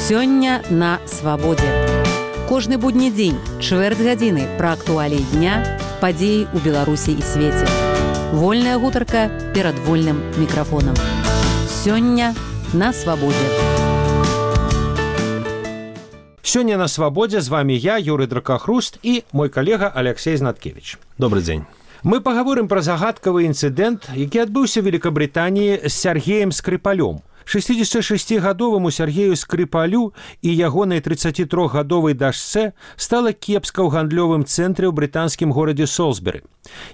Сёння на свабодзе. Кожны будні дзень, чвэрць гадзіны пра актуаліі дня, падзеі ў Беларусі і свеце. Вольная гутарка перад вольным мікрафонам. Сёння на свабодзе. Сёння на свабодзе з вами я, Юрый Дракахруст, і мой калега Алексей Знаткевич. Добрый дзень. Мы пагаворым пра загадкавы інцыдэнт, які адбыўся ў Великабрытаніі з Сергеем Скрипалём. 66-гадоваму Сергею Скрипалю і ягонай 33-гадовай дачцэ стала кепска ў гандлёвым цэнтры ў брытанскім горадзе Солсбері.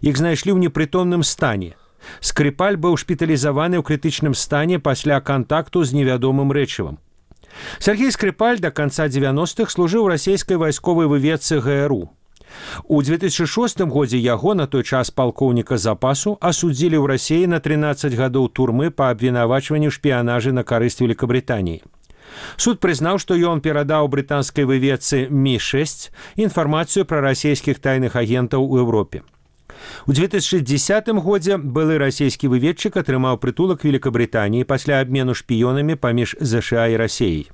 Іх знайшлі ў непрытомным стане. Скрипаль быў шпіталізаваны ў крытычным стане пасля кантакту з невядомым рэчывам. Сергей Скрипаль да канца 90-х служыў у расійскай вайсковай выведцы ГРУ. У 2006 годзе яго, на той час палкоўніка запасу, асудзілі ў Расіі на 13 гадоў турмы па абвінавачванню шпіянажы на карысць Великабрытаніі. Суд прызнаў, што ён перадаў брытанскай выведцы Ми-6 інфармацыю пра расійскіх тайных агентаў у Еўропе. У 2010 годзе былы расійскі выведчык атрымаў прытулак Великабрытаніі пасля абмену шпіёнамі паміж ЗША і Расіяй.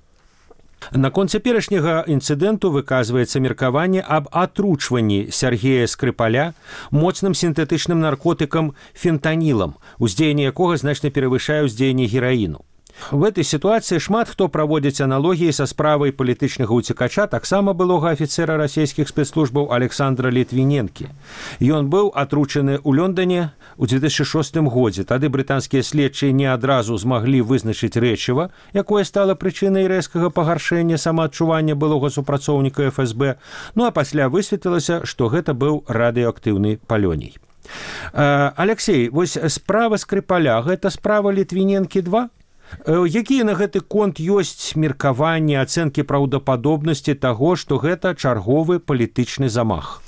Наконт цяперашняга інцыдэнту выказваецца меркаванне аб атручванні Сергея Скрипаля моцным сінтэтычным наркотыкам фентанілам, уздзеянне якога значна перавышае ўздзеянне гераіну. В этой ситуации шмат хто праводзіць аналогіі са справай палітычнага уцекача таксама былога афіцера расійскіх спецслужбаў Александра Літвіненкі. Ён быў атручаны ў Лондоне ў 2006 годзе. Тады брытанскія следчыя не адразу змаглі вызначыць рэчыва, якое стала прычынай рэзкага пагаршэння самаадчування былога супрацоўніка ФСБ, ну а пасля высветлілася, што гэта быў радыеактыўны палёній. Алексей, вось справа Скрипаля, гэта справа Літвіненкі-2? Якія на гэты конт ёсць меркаванні, ацэнкі праўдападобнасці таго, што гэта чарговы палітычны замах?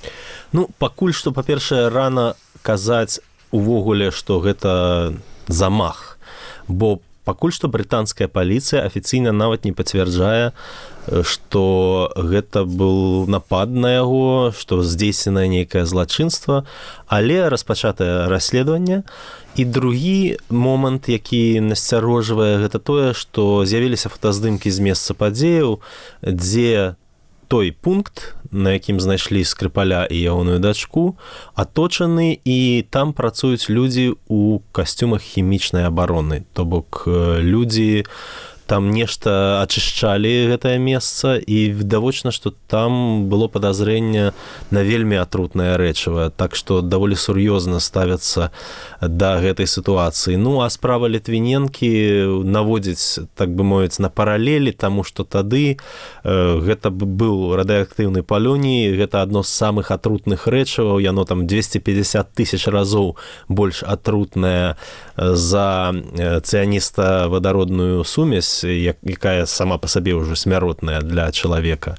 Ну, пакуль што, па-першае, рана казаць увогуле, што гэта замах, бо пакуль што брытанская паліцыя афіцыйна нават не пацвярджае, што гэта быў напад на яго, што здзейсненае нейкае злачынства, але распачатае расследаванне. І другі момант, які насцярожвае, гэта тое, што з'явіліся фотаздымкі з месца падзеяў, дзе той пункт, на якім знайшлі Скрипаля і ягоную дачку, аточаны, і там працуюць людзі ў касцюмах хімічнай абароны. То бок людзі там нешта ачышчалі гэтае месца, і відавочна, што там было падазрэнне на вельмі атрутнае рэчыва, так што даволі сур'ёзна ставяцца да гэтай сітуацыі. Ну, а справа Літвіненкі наводзіць, так бы мовіць, на паралелі, таму што тады гэта быў радыеактыўны палёній, гэта адно з самых атрутных рэчываў, яно там 250 000 разоў больш атрутнае за цыяніста-вадародную сумесь, якая сама па сабе ўжо смяротная для чалавека.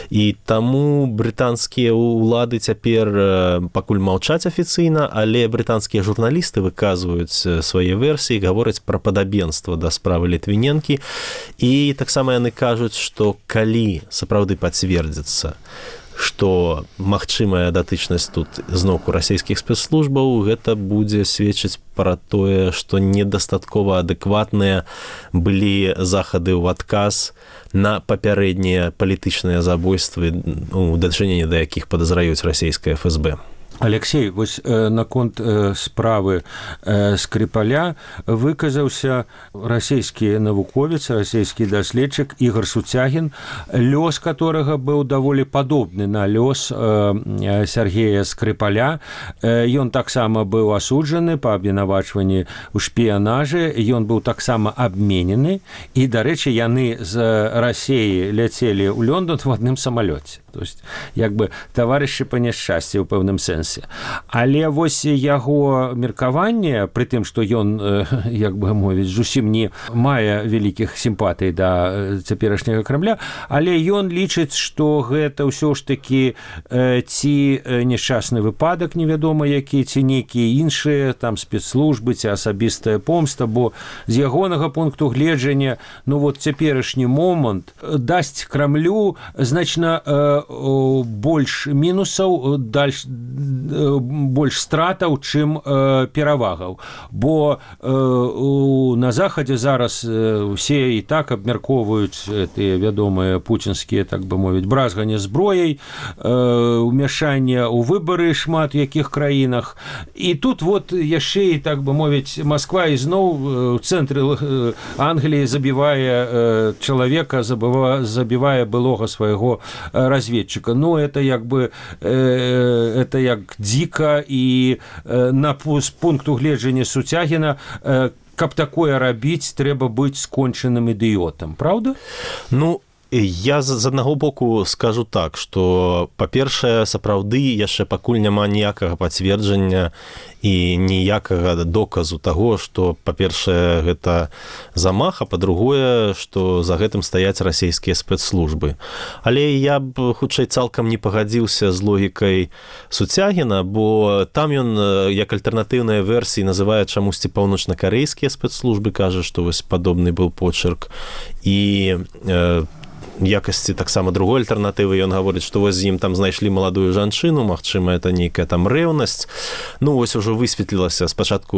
І таму брытанскія ўлады цяпер пакуль маўчаць афіцыйна, але брытанскія журналісты выказваюць свае версіі, гавораць пра падабенства да справы Літвіненкі, і таксама яны кажуць, што калі сапраўды пацвердзіцца, што магчымая датычнасць тут зноўку расійскіх спецслужбаў, гэта будзе сведчыць пра тое, што недастаткова адэкватныя былі захады ў адказ на папярэднія палітычныя забойствы, у дачыненні да якіх падазраюць расійскае ФСБ. Алексей, вось наконт справы Скрипаля выказаўся расійскі навуковец, расійскі даследчык Ігор Суцягін, лёс которага быў даволі падобны на лёс Сергея Скрипаля. Ён таксама быў асуджаны па абвінавачванні ў шпіянажы, ён быў таксама абменены, і, дарэчы, яны з Расіі ляцелі ў Лондон в адным самалёце. То есть, як бы, таварышы па няшчасці ў пэўным сэнсе. Але вось яго меркаванне, пры тым, што ён, як бы мовіць, зусім не мае вялікіх сімпатый да цяперашняга Крамля, але ён лічыць, што гэта ўсё ж такі ці няшчасны выпадак, невядома які, ці нейкія іншыя там спецслужбы, ці асабістая помста, бо з ягонага пункту гледжання, ну вот цяперашні момант дасць Крамлю значна больш мінусаў больш стратаў, чым перавагаў. Бо на захадзе зараз усе і так абмяркоўваюць тыя вядомыя пуцінскія, так бы мовіць, бразганне зброяй, умяшанне ў выбары шмат якіх краінах. І тут вот яшчэ і, так бы мовіць, Москва ізноў у цэнтры Англіі забівае чалавека, забівае былога свайго разведчыка. Ну, это як бы это як дзіка, і з пункту гледжання Суцягіна, каб такое рабіць, трэба быць скончаным ідыётам, правда? Ну, я з аднаго боку скажу так, што, па-першае, сапраўды яшчэ пакуль няма ніякага пацверджання і ніякага доказу таго, што, па-першае, гэта замах, а па-другое, што за гэтым стаяць расійскія спецслужбы. Але я б хутчэй цалкам не пагадзіўся з логікай Суцягіна, бо там ён, як альтэрнатыўныя версіі, называе чамусьці паўночна-карэйскія спецслужбы, кажа, што вось падобны быў почерк. І якасці таксама другой альтэрнатывы ён гаворыць, што вось з ім там знайшлі маладую жанчыну, магчыма, это нейкая там рэўнасць. Ну, вось ужо высветлілася, спачатку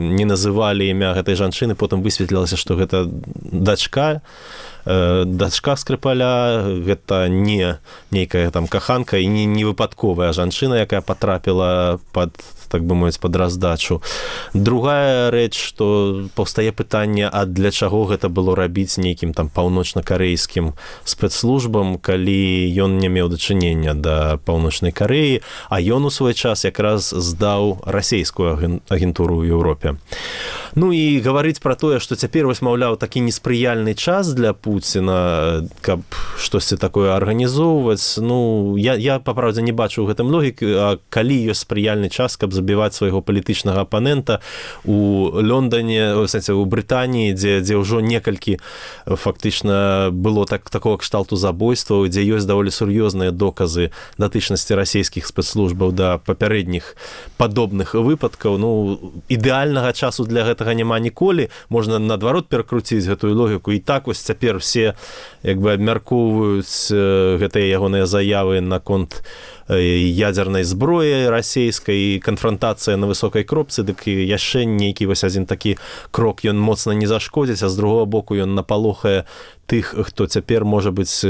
не называлі імя гэтай жанчыны, потым высветлілася, што гэта дачка Скрыпаля, гэта не нейкая там каханка і не выпадковая жанчына, якая патрапіла пад, так бы мовіць, пад раздачу. Другая рэч, што паўстае пытанне, а для чаго гэта было рабіць нейкім там паўночна-карэйскім спецслужбам, калі ён не меў дачынення да Паўночнай Карэі, а ён у свой час якраз здаў расейскую агентуру ў Еўропе. Ну і гаварыць пра тое, што цяпер вось, маўляў, такі неспрыяльны час для Пуціна, каб штосьці такое арганізоўваць, ну, я па-праўдзе не бачу ў гэтым логікі, а калі ёсць спрыяльны час, каб забіваць свайго палітычнага апанента у Лондоне, у сэнсе, у Брытаніі, дзе ўжо некалькі фактычна было такого кшталту забойстваў, дзе ёсць даволі сур'ёзныя доказы датычнасці расійскіх спецслужбаў да папярэдніх падобных выпадкаў. Ну, ідэальнага часу для гэтага няма ніколі, можна наадварот перакруціць гэтую логіку, і так вось цяпер все як бы абмяркоўваюць гэтыя ягоныя заявы наконт ядзернай зброі расійскай, канфрантацыя на высокай кропцы, дык яшчэ нейкі вось адзін такі крок ён моцна не зашкодзіць, а з другого боку ён напалохае тых, хто цяпер, можа быць,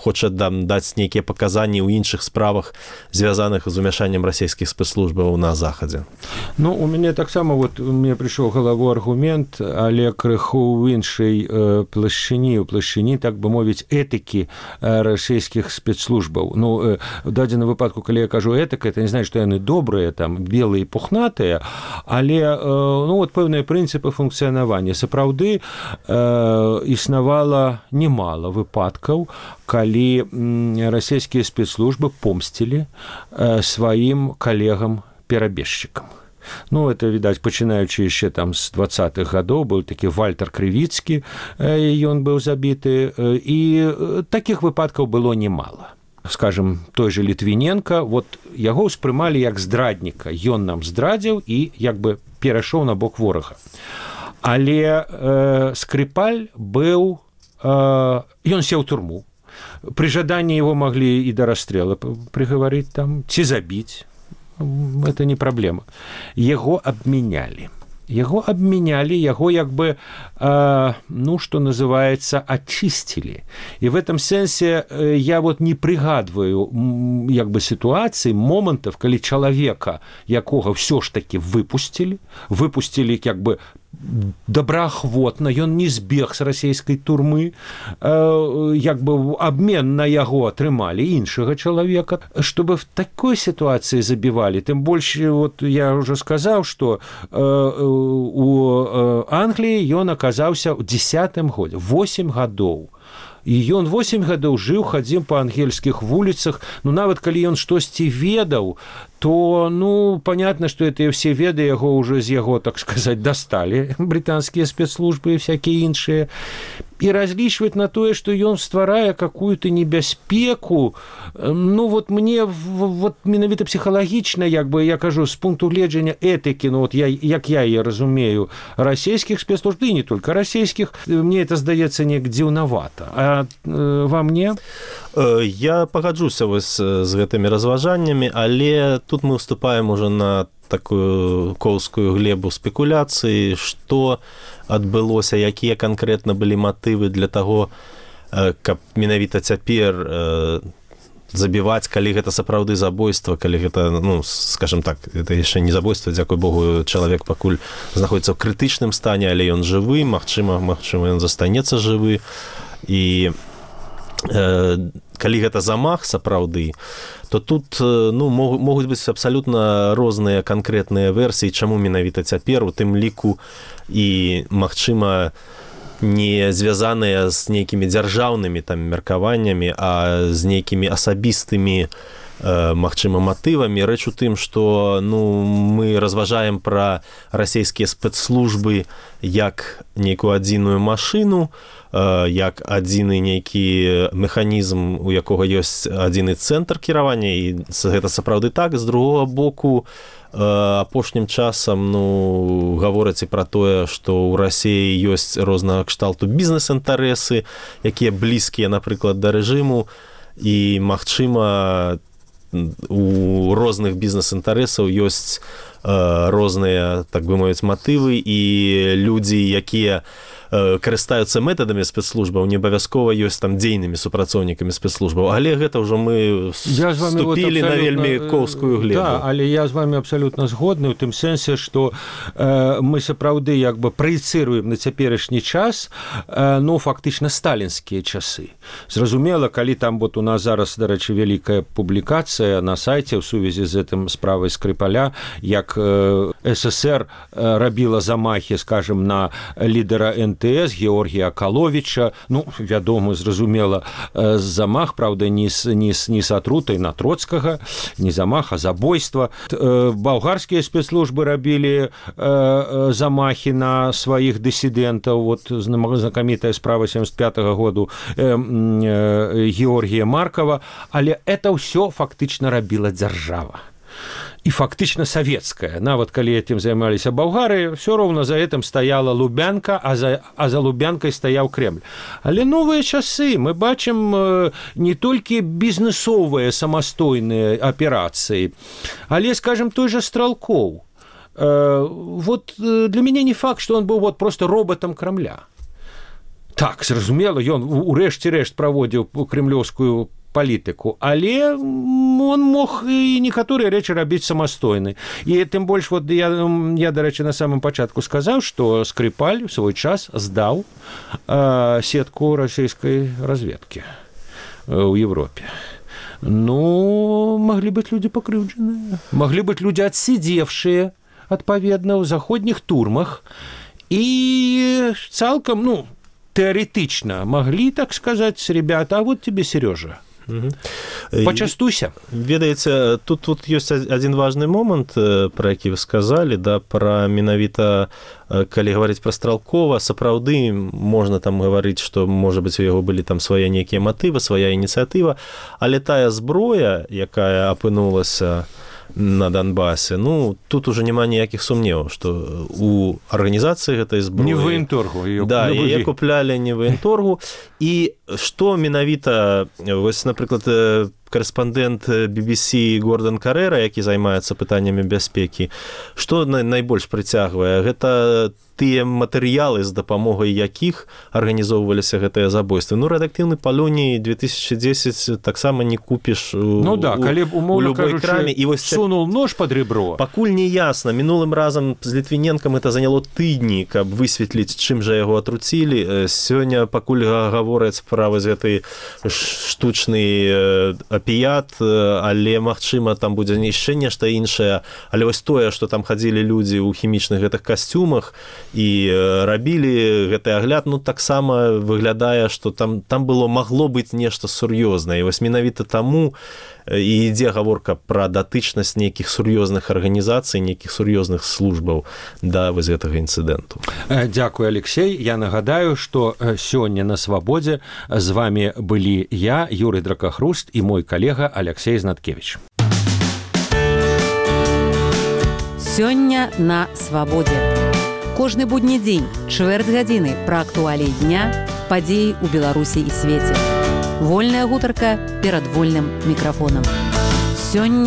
хоча даць нейкія паказанні ў іншых справах, звязаных з умяшаннем расійскіх спецслужбаў на захадзе. Ну, у мяне таксама, вот, мне прыйшоў в галаву аргумент, але крыху ў іншай плашчыні, у плашчыні, так бы мовіць, этыкі расійскіх спецслужбаў. Ну, в дадзеным выпадку, калі я кажу этыка, это не значит, што яны добрыя, там, белыя і пухнатыя, але, ну, вот, пэўныя прынцыпы функцыянавання. Сапраўды існавала немало выпадкаў, калі расійскія спецслужбы помсцілі сваім калегам-перабежчыкам. Ну, это, відаць, пачынаючы яшчэ там з 20-х гадоў, быў такі Вальтер Крывіцкі, ён быў забіты, і такіх выпадкаў было немало. Скажем, той же Літвіненка, вот яго ўспрымалі як здрадніка, ён нам здрадзіў і як бы перайшоў на бок ворага. Але Скрипаль быў, ён сеў у турму. Пры жаданні его маглі і да расстрела прыгаварыць там, ці забіць. Это не праблема. Яго абмянялі. Яго як бы, ну, что называется, очистили. И в этом сенсе я вот не пригадываю як бы ситуации, моментов, коли человека, якога все ж таки выпустили як бы добраахвотна, ён не збег з расійскай турмы, як бы абмен на яго атрымалі іншага чалавека, чтобы в такой ситуации забивали. Тым больш, вот я уже сказаў, что у Англіі ён аказаўся ў 10-м годзе, 8 гадоў. І ён 8 гадоў жыў, хадзіў па ангельскіх вуліцах. Ну, нават калі ён штосьці ведаў, то, ну, понятно, что это все веды яго уже з яго, так сказать, достали британские спецслужбы и всякие іншыя. И различивать на то, что ён стварае какую-то небяспеку, ну, вот мне, вот менавіта психологично, як бы, я кажу, с пункту гледжання этики, ну, вот як я її разумею, расійских спецслужб, и не только расійских, мне это здаецца неяк дзіўнавата. А вам не? Я пагаджуся вось з гэтымі разважаннямі, але тут мы уступаем уже на такую коўскую глебу спекуляцыі, што адбылося, якія канкрэтна былі матывы для таго, каб менавіта цяпер забіваць, калі гэта сапраўды забойства, калі гэта, ну, скажем так, это яшчэ не забойства, дзякуй Богу, чалавек пакуль знаходзіцца ў крытычным стане, але ён жывы, магчыма, ён застанецца жывы. І калі гэта замах сапраўды, то тут, ну, могуць быць абсалютна розныя канкрэтныя версіі, чаму менавіта цяпер, у тым ліку і, магчыма, не звязаныя з нейкімі дзяржаўнымі там меркаваннямі, а з нейкімі асабістымі, магчыма, матывамі. Рэч у тым, што, ну, мы разважаем пра расійскія спецслужбы як нейкую адзіную машыну, як адзіны нейкі механізм, у якога ёсць адзіны цэнтр кіравання, і гэта сапраўды так. З другога боку, апошнім часам, ну, гавораць і пра тое, што ў Расіі ёсць рознага кшталту бізнес-інтарэсы, якія блізкія, напрыклад, да рэжыму, і, магчыма, у розных бізнес-інтарэсаў ёсць розныя, так бы мовіць, матывы, і людзі, якія карыстаюцца метадамі спецслужбаў, не абавязкова ёсць там дзейнымі супрацоўнікамі спецслужбаў, але гэта ўжо мы вступілі на вельмі коўскую глебу. Да, але я з вами абсалютна згодны ў тым сэнсе, што мы сапраўды як бы праецыруем на цяперашні час, ну, фактычна сталінскія часы. Зразумела, калі там вот у нас зараз, дарэчы, вялікая публікацыя на сайце ў сувязі з гэтым справай Скрипаля, як СССР рабіла замахі, скажем, на лідера НТС Георгія Акаловіча, ну, вядома, зразумела, замах, правда, не с атрутай на Троцкага, не замах, а забойства. Балгарскія спецслужбы рабілі замахі на сваіх дысідэнтаў, вот знакамітая справа 75-го году Георгія Маркова, але это ўсё фактычна рабіла дзяржава. І фактычна савецкая. Нават калі этим займаліся болгары, все роўна за этим стаяла Лубянка, а за Лубянкай стаяў Кремль. Але новыя часы, мы бачым не толькі бізнесовыя самастойныя аперацыі, але, скажем, той же Стралков. Вот для мяне не факт, что он был вот просто роботом Кремля. Так, зразумела, ён урэшце рэшт праводзіў кремлёўскую палітыку, але он мог і некаторыя рэчы рабіць самастойны. І тым больш, вот я, дарэчы, на самым пачатку сказаў, што Скрипаль у свой час здаў сетку расійскай разведкі ў Европе. Ну, маглі быць людзі пакрыўджаныя, маглі быць людзі адсидзевшыя, адпаведна, ў заходніх турмах, і цалкам, ну, тэарэтычна маглі, так сказаць, ребята, а вот тебе, Сережа, пачастуйся. Ведаеце, тут ёсць адзін важны момант, пра які вы сказалі, да, пра менавіта, калі гаварыць пра Стралкова, сапраўды можна там гаварыць, што, можа быць, у яго былі там свае нейкія матывы, свая ініцыятыва, але тая зброя, якая апынулася на Донбасе, ну, тут уже няма ніякіх сумневаў, што у арганізацыі гэтай зброі... Не военторгу. Да, яе куплялі не военторгу. І што менавіта, вось, напрыклад, корэспандэнт BBC Гордан Карэра, які займаецца пытаннямі бяспекі, што найбольш прыцягвае? Гэта тыя матэрыялы, з дапамогай якіх арганізоўваліся гэтыя забойствы. Ну, рэдактыўны палоній 2010 таксама не купіш у любой краме. І вось сунул нож под ребро. Пакуль не ясна. Мінулым разам з Літвіненкам это заняло тыдні, каб высветліць, чым жа яго атруцілі. Сёння пакуль гавораць пра вось гэты штучны апіят, але, магчыма, там будзе яшчэ нешта іншае. Але вось тое, што там хадзілі людзі ў хімічных гэтых касцюмах і рабілі гэты агляд, ну, таксама выглядае, што там магло быць нешта сур'ёзнае. І вось менавіта таму і ідзе гаворка пра датычнасць нейкіх сур'ёзных арганізацый, нейкіх сур'ёзных службаў да вось гэтага інцыдэнту. Дзякуй, Алексей. Я нагадаю, што сёння на Свабодзе з вами былі я, Юрый Дракахруст, і мой калега Алексей Знаткевич. Сёння на Свабодзе. Кожны будні дзень, чвэрць гадзіны пра актуаліі дня, падзеі ў Беларусі і свеце. Вольная гутарка перад вольным мікрафонам. Сёння